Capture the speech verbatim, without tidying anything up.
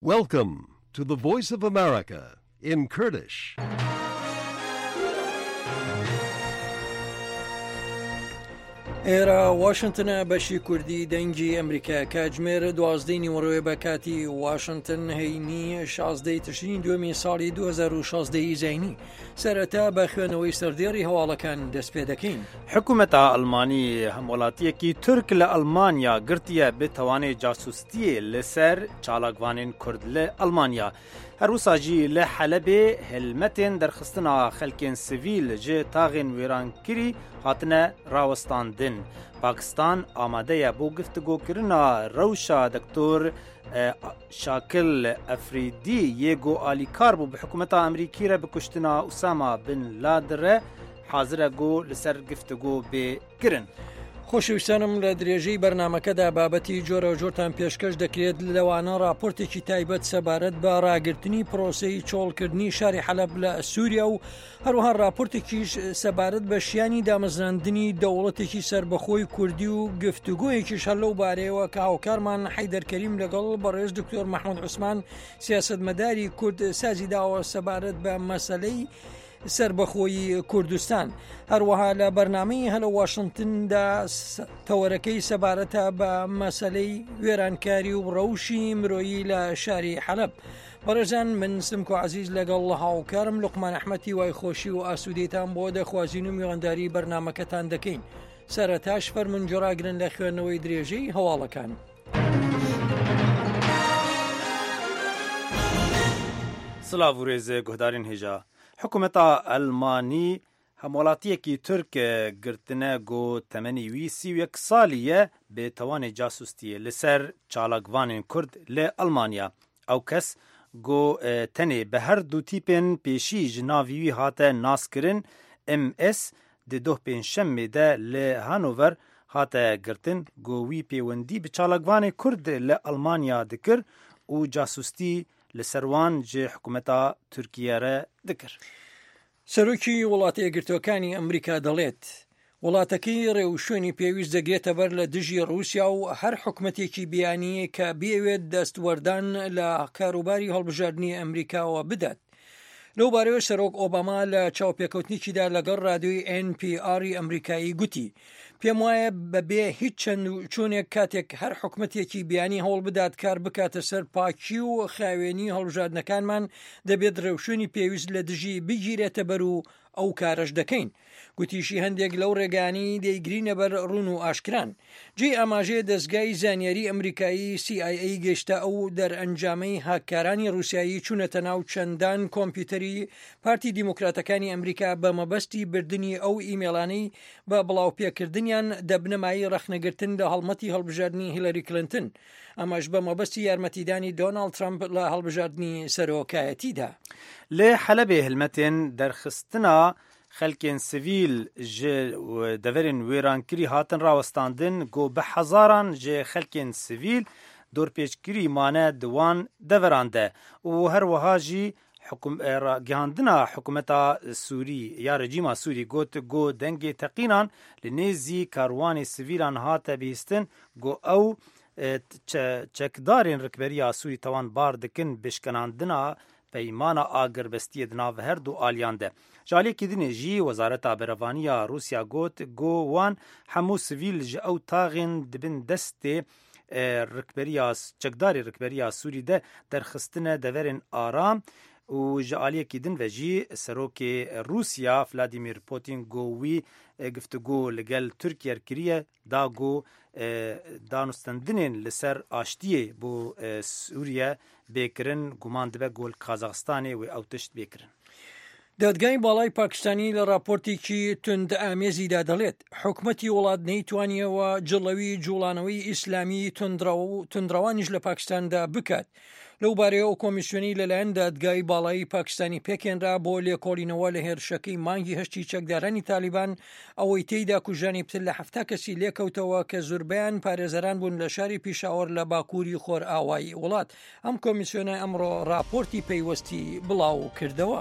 Welcome to the Voice of America in Kurdish. ئێرە واشنتنە بەشی کوردی دەنگی ئەمریکا کاتژمێر دوازدەی نیوەڕۆیە بە کاتی واشنتن هەینی شازدەی تشرینی دووەمی ساڵی دوو هەزار و شازدە ی زایینی. سەرەتا بە خوێنەوەی سەردێڕی هەواڵەکان دەست پێ دەکەین. حکومەتا ئەڵمانی هەموڵاتیەکی تورک لە ئەڵمانیا گرتیە bi tawanê casûstiyê li ser çalakvanên Kurd li Almanya. Her wisa jî li Helebê helmetên derxistina xelkên sivîl ji taxên wêrankirî hatine rawestandin. Pakistan amade ye bo giftigokirina rewşa Doktor Şakil Efrîdî yê ku alîkar bû bi hikûmeta Amerîkî re bi kuştina Usama bin Laden re hazir e ku li ser giftigo bê kirin. خۆشەویستانم لە درێژەی بەرنامەکەدا بابەتی جۆرە و جۆرتان پێشکەش دەکرێت، لەوانە راپۆرتێکی تایبەت سەبارەت بە ڕاگرتنی پرۆسەی چۆڵکردنی شاری حەلەب لە سووریا و هەروەها راپۆرتێکیش سەبارەت بە شیانی دامەزراندنی دەوڵەتێکی سەربەخۆی کوردی و گفتوگۆیەکیش هەر لەو بارەیەوە کە هاوکارمان حەیدەر کەریم لەگەڵ بەڕێز دکتۆر مەحمود عوسمان سیاسەتمەداری کورد سازی داوە سەبارەت بە مەسەلەی سربەخۆیی کوردستان. هەروەها لە بەرنامەی هەلە واشنگتندا تەوەرەکەی سەبارەتە بە مەسلەی وێرانکاری و ڕەوشی مرۆیی لە شاری حەلەب. بەڕێزان من سمکۆ عەزیز لەگەڵ هاوکارم لوقمان ئەحمەدی وای خۆشی و ئاسوودەیتان بۆ دەخوازین و میوانداری بەرنامەکەتان دەکەین. سەرەتاش فەرمونجۆراگرن لە خوێندنەوەی درێژەی هەواڵەکان. سلاv û rêz guhdarên hêja. Hikûmeta Elmanî hemwelatiyekî Türk girtine ku temenê wî sî û yek salî ye bi tawanê casûstiyê li ser çalakvanên Kurd li Almanya. Ew kes ku tenê bi her du tîpên pêşî ji navî wî hate naskirin M S di doh pêncşemê de li Hanover hate girtin ku wî pêwendî bi çalakvanê Kurd li Almanya dikir û casûstî li ser wan ji hikûmeta Tirkiye re dikir. سەرۆکی وڵاتە یەکگرتووەکانی ئەمریکا دەڵێت وڵاتەکەی ڕێوشوێنی پێویست دەگرێتە بەر لە دژی ڕووسیا و هەر حکومەتێکی بیانی کە بیەوێت دەستوەردان لە کاروباری هەڵبژاردنی ئەمریکاوە بدات. لەو بارەوە سەرۆک ئۆباما لە چاوپێکەوتنێکیدا لەگەڵ رادیۆی ئێن پی ئاری ئەمریکایی گوتی پێم وایە بەبێ هیچ چەند و چۆنێک کاتێک هەر حکومەتێکی بیانی هەوڵ بدات کار بکاتە سەر پاکی و خاوێنی هەڵبژاردنەکانمان دەبێت ڕێوشوێنی پێویست لە دژی بگیرێتە بەر و ئەو کارەش دەکەین. گوتیشی هەندێک لەو ڕێگانی دەیگرینە بەر ڕون و ئاشکران. جێی ئاماژەیە دەستگای زانیاری ئەمریکایی سی ئای ئەی گەشتە ئەو دەرئەنجامەی هاککارانی ڕووسیایی چوونەتە ناو چەندان کۆمپیوتەری پارتی دیموکراتەکانی ئەمریکا بە مەبەستی بردننی ئەو ئیمێڵانەی بە بڵاوپێکردنیان دەبنەمایی ڕەخنەگرتن لە هەڵمەتی هەڵبژاردنی هیلاری کلینتن، ئەمەش بە مەبەستی یارمەتیدانی دۆناڵد ترەمپ لە هەڵبژاردنی سەرۆکایەتیدا. لێ حەلەبێ هەلمەتێن دەرخستنا خەلکێن سڤیل ji deverên wêrankirî hatin rawestandin ku bi hezaran ji xelkên sivîl dorpêçkirî mane di wan deveran de û her wiha jî gihandina hikûmeta Sûrî ya rejîma Sûrî got ku dengê teqînan li nêzî karwanê sivîlan hate bihîstin ku ew çekdarên rikberiya Sûrî tawanbar dikin bi şikenandina peymana agirbestiyê di nav her du aliyan de. Ji aliyekî dinê jî Wezareta Berevaniya Rûsya got ku wan hemû sivîl ji ew taxên dibin destê rikberiya çekdarê rikberiya Sûrî de derxistine deverên aram û ji aliyekî din ve jî serokê Rûsya Vladimir Putin got wî giftigo li gel Tirkiye kiriye da ku danûstandinên li ser aştiyê bo Sûriye bêkirin guman dibe ku li Kazaxistanê wê ew tişt bêkirin. دادگای باڵای پاکستانی لە راپۆرتێکی توند ئامێزیدا دەڵێت حکومەتی وڵات نەیتوانیەوە جڵەوی جوڵانەوەی ئیسلامی تونندڕەوانیش لە پاکستاندا بکات. لەو بارەیە ئەو کۆمیسیۆنی لەلایەن دادگای باڵایی پاکستانی پێکێنرا بۆ لێکۆڵینەوە لە هێرشەکەی مانگی هەشتی چەکدارانی تالیبان ئەوەی تێیدا کوژانی پتر لە حەفتا کەسی لێکەوتەوە کە زوربەیان پارێزەران بوون لە شاری پیشاوەر لە باکووری خۆرئاوایی وڵات. ئەم کۆمیسیۆنە ئەمڕۆ راپۆرتی پەیوەستی بڵاو کردەوە.